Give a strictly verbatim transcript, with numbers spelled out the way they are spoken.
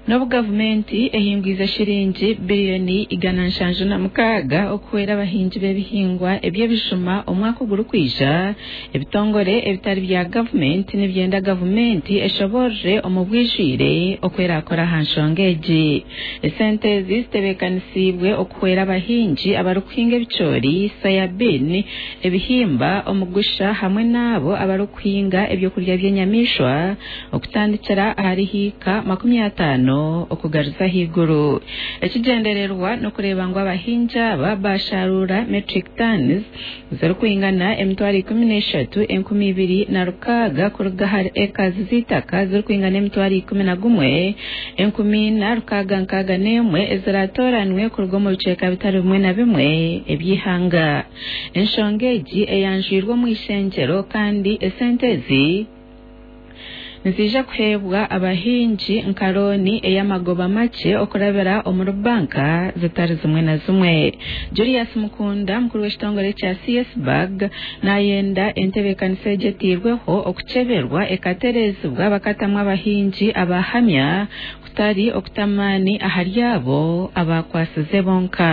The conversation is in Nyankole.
N'obu gavumenti ehingwize shiringi biliyoni igana nshanju na mukaaga okuhwera abahingi b'ebihingwa eby'ebijuma omwaka ogurikwija, ebitongore ebitari bya gavumenti nibyenda gavumenti eshoborere omu bwijwire oku erakora aha nshonga egi. Esente ezi zitebeekanisiibwe okuhwera abahingi abarikuhinga ebicoori, soya bean, ebihimba, omugusha hamwe n'abo abarikuhinga ebyokurya by'enyamaishwa okutandikira ahari hiika makumi ataano okugaruza ahaiguru. Ekigyendererwa n'okureeba ngu abahingi aba basharuura metric tons zirikwingana emitwaro ikumi n'eshatu enkumi ibiri na rukaaga kuruga ahari ekazi z'eitaka zirikwingana emitwaro ikumi na gumwe enkumi ina rukaaga nkaaga n'emwe eziraatoranwe kuruga omu bicweka bitari bimwe na bimwe eby'eihanga. Enshonga egi eyanjwirwe omu ishengyero kandi esente ezi niziija kuheebwa abahingi nka looni ey'amagoba makye okurabira omuri banka zitari zimwe na zimwe. Julius Mukunda mukuru w'ekitongore kya C S BAG nayenda entebeekanisa egi etiirweho okukyeberwa ekatereezibwa bakatamu abahingi abahamya kutari okuta amaani ahari abo abakwasize bonka.